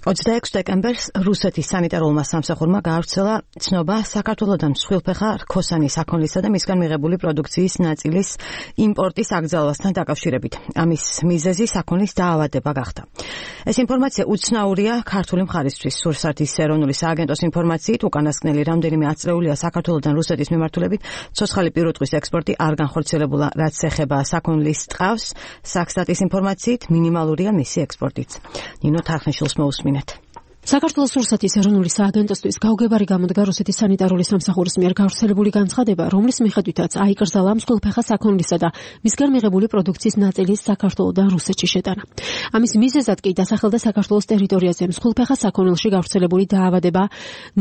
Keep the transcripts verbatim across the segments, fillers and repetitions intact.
ოცდაექვსი დეკემბერს რუსეთის სანიტარულმა სამსახურმა გაავრცელა ცნობა საქართველოდან მსხვილფეხა რქოსანი საქონლისა და მისგან მიღებული პროდუქციის ნაწილის იმპორტის აკრძალვასთან დაკავშირებით. ამის მიზეზი საქონლის დაავადება გახდა. ეს ინფორმაცია უცნაურია ქართული მხარისთვის. სურსათის ეროვნული სააგენტოს ინფორმაციით, უკანასკნელი რამდენიმე ათწლეულია საქართველოდან რუსეთის მიმართულებით ცოცხალი პირუტყვის ექსპორტი არ განხორციელებულა, რაც ეხება საქონლის ტყავს. საქსტატის ინფორმაციით, მინიმალურია მისი ექსპორტიც. ნინო თარხნიშვილს მოусმინეთ. საქართველოს სურსათის ეროვნული სააგენტოსთვის გაუგებარი გამოდგა რუსეთის სანიტარული სამსახურის მიერ გავრცელებული განცხადება, რომლის მიხედვითაც აიკრძალა მსხვილფეხა საქონლისა და მისგან მიღებული პროდუქციის ნაწილის საქართველოდან რუსეთში შეტანა. ამის მიზეზად კი დასახელდა საქართველოს ტერიტორიაზე მსხვილფეხა საქონელში გავრცელებული დაავადება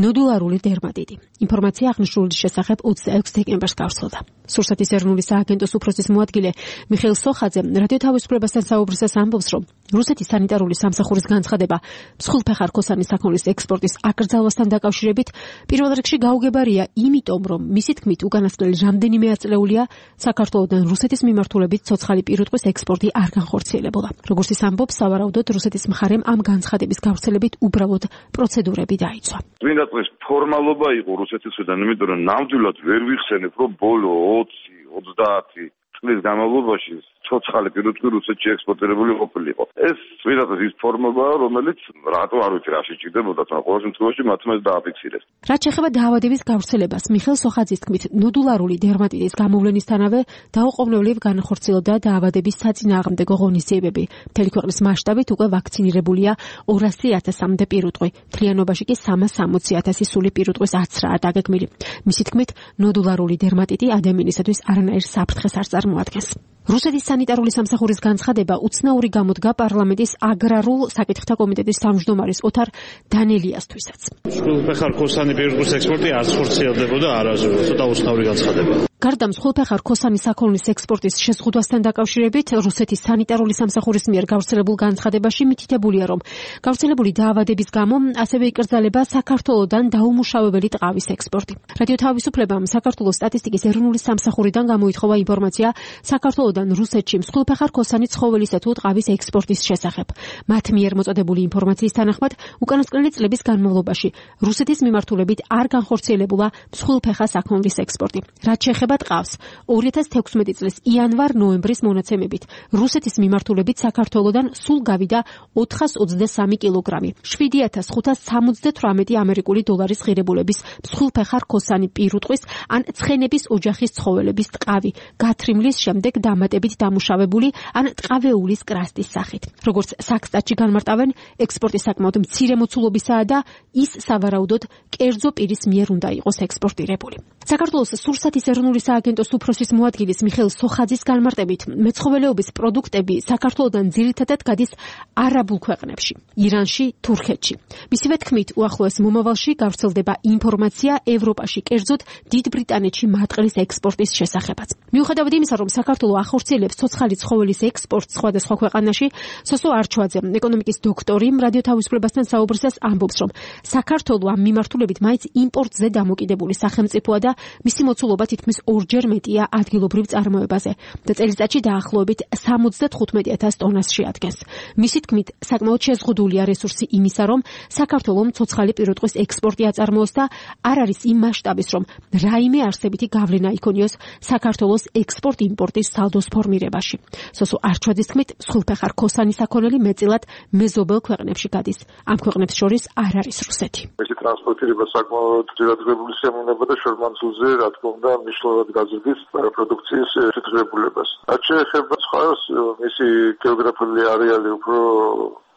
ნოდულარული დერმატიტი. ინფორმაცია აღნიშნულის შესახებ ოცდაექვსი დეკემბერს გავრცელდა. სურსათის ეროვნული სააგენტოს უფროსის მოადგილე მიხეილ სოხაძე რადიო თავისუფლებასთან საუბრისას ამბობს, რომ რუსეთის სანიტარული სამსახურის განცხადება მსხვილფეხა რქოსანი საქონლის ექსპორტის აკრძალვასთან დაკავშირებით პირველ რიგში გაუგებარია, იმიტომ რომ მისი თქმით უკანასკნელი რამდენიმე ათწლეულია საქართველოდან რუსეთის მიმართულებით ცოცხალი პირუტყვის ექსპორტი არ განხორციელებულა. როგორც ის ამბობს, სავარაუდოდ რუსეთის მხარემ ამ განცხადების გავრცელებით უბრალოდ პროცედურები დაიცვა. წმინდა წლის ფორმალობა იყო რუსეთისგან, იმიტომ რომ ნამდვილად ვერ ვიხსენებ, რომ ბოლო ოცი ოცდაათი წლის განმავლობაში ცოცხალი პირუტყვი რუსეთში ექსპორტირებული ყოფილიყო. ეს წმინდა წლის ის ფორმებაა, რომელიც რატო არ ვიცი რა შეჭირდებოდა, მაგრამ ყოველ შემთხვევაში მათმა ეს დააფიქსირეს. რაც შეეხება დაავადების გავრცელებას, მიხეილ სოხაძის თქმით, ნოდულარული დერმატიტის გამოვლენისთანავე დაუყოვნებლივ განხორციელდა დაავადების საწინააღმდეგო ღონისძიებები. მთელი ქვეყნის მასშტაბით უკვე ვაქცინირებულია ორასი ათასამდე პირუტყვი. მთლიანობაში კი სამას სამოცი ათასი სული პირუტყვის აცრაა დაგეგმილი. მისი თქმით, ნოდულარული დერმატიტი ადამიანისათვის არანაირ საფრთხეს არ წარმოადგენს. რუსეთის სანიტარული სამსახურის განცხადება უცნაური გამოდგა პარლამენტის აგრარულ საკითხთა კომიტეტის თავმჯდომარის ოთარ დანელიასთვისაც. მსხვილფეხა რქოსანი პირუტყვის ექსპორტი არც ხორციელდებოდა არასდროს, ცოტა უცნაური განცხადება. გარდა მსხვილფეხა რქოსანი საქონლის ექსპორტის შეზღუდვასთან დაკავშირებით, რუსეთის სანიტარული სამსახურის მიერ გავრცელებულ განცხადებაში მითითებულია, რომ გავრცელებული დაავადების გამო ასევე იკრძალება საქართველოდან დაუმუშავებელი ტყავის ექსპორტი. რადიო თავისუფლებამ საქართველოს სტატისტიკის ეროვნული სამსახურიდან გამოითხოვა ინფორმაცია საქართველოდან რუსეთში მსხვილფეხა რქოსანი ცხოველისა თუ ტყავის ექსპორტის შესახებ. მათ მიერ მოწოდებული ინფორმაციის თანახმად, უკანასკნელი წლების განმავლობაში რუსეთის მიმართულებით არ განხორციელებულა მსხვილფეხა საქონლის ექსპორტი. რაც შეეხება ტყავს, ორი ათას თექვსმეტი წლის იანვარ-ნოემბრის მონაცემებით რუსეთის მიმართულებით საქართველოდან სულ გავიდა ოთხას ოცდასამი კილოგრამი, შვიდი ათას ხუთას სამოცდათვრამეტი ამერიკული დოლარის ღირებულების მსხვილფეხა რქოსანი პირუტყვის ან ცხენების ოჯახის ცხოველების ტყავი, გათრიმლის შემდეგ დამატებით დამუშავებული ან ტყავეულის კრასტის სახით. როგორც საქსტატში განმარტავენ, ექსპორტი საკმაოდ მცირე მოცულობისაა და ის სავარაუდოდ კერძო პირის მიერ უნდა იყოს ექსპორტირებული. საქართველოს სურსათის ეროვნული სააგენტოს უფროსის მოადგილის მიხეილ სოხაძის განმარტებით, მეცხოველეობის პროდუქტები საქართველოდან ძირითადად გადის არაბულ ქვეყნებში, ირანში, თურქეთში. მისივე თქმით, უახლოეს მომავალში გავრცელდება ინფორმაცია ევროპაში, კერძოდ დიდ ბრიტანეთში მატყლის ექსპორტის შესახებაც. მიუხედავად იმისა, რომ საქართველო ახორციელებს ცოცხალი ცხოველის ექსპორტს სხვადასხვა ქვეყანაში, სოსო არჩვაძე, ეკონომიკის დოქტორი, რადიო თავისუფლებასთან საუბრისას ამბობს, რომ საქართველო ამ მიმართულებით მაინც იმპორტზე დამოკიდებული სახელმწიფოა და მისი მოცულობა თითქმის ორჯერ მეტია ადგილობრივ წარმოებაზე და წელიწადში დაახლოებით სამოცდათხუთმეტი ათას ტონას შეადგენს. მისი თქმით, საკმაოდ შეზღუდულია რესურსი იმისა, რომ საქართველომ ცოცხალი პირუტყვის ექსპორტი აწარმოოს და არ არის იმ მასშტაბის, რომ რაიმე არსებითი გავლენა იქონიოს საქართველოს ექსპორტ-იმპორტის სალდოს ფორმირებაში. სოსო არჩვაძის თქმით, მსხვილფეხა რქოსანი საქონელი მეტწილად მეზობელ ქვეყნებში გადის. ამ ქვეყნებს შორის არ არის რუსეთი. მისი ტრანსპორტირება საკმაოდ ძირადღებული შემოვნება და შორმანძილზე, რა თქმა უნდა, მნიშვნელოვნად გაზრდის პროდუქციის შესაძლებლობას. რაც შეეხება სხვას, მისი გეოგრაფიული არეალი უფრო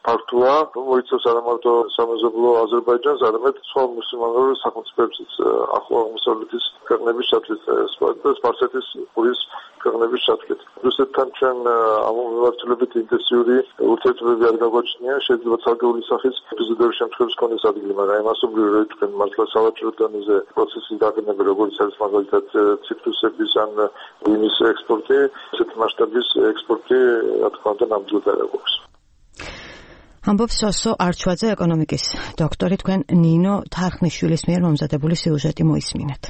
ფართოა, მოიცავს არა მარტო სამეზობლო აზერბაიჯანს, არამედ სხვა მუსლიმანურ სახელმწიფოებსაც, ახლო აღმოსავლეთის ქვეყნების ჩათვლით, სპარსეთის ყურის ქვეყნების ჩათვლით. რუსეთთან ჩვენ ამ მიმართულებით ინტენსიური ურთიერთობები არ გაგვაჩნია, შეიძლება ცალკეული სახის ეპიზოდური შემთხვევების კონდეს ადგილი, მაგრამ მასობრივი რო თქვენ მართლა სავაჭრო დონეზე პროცესის დაყენება, როგორც არის მაგალითად ციტრუსების ან ღვინის ექსპორტი, ესეთი მასშტაბის ექსპორტი, რა თქმა უნდა, ნამდვილად არ აქვს. ამბობს სოსო არჩვაძე, ეკონომიკის დოქტორი, თქვენ ნინო თარხნიშვილის მიერ მომზადებული სიუჟეტი მოისმინეთ.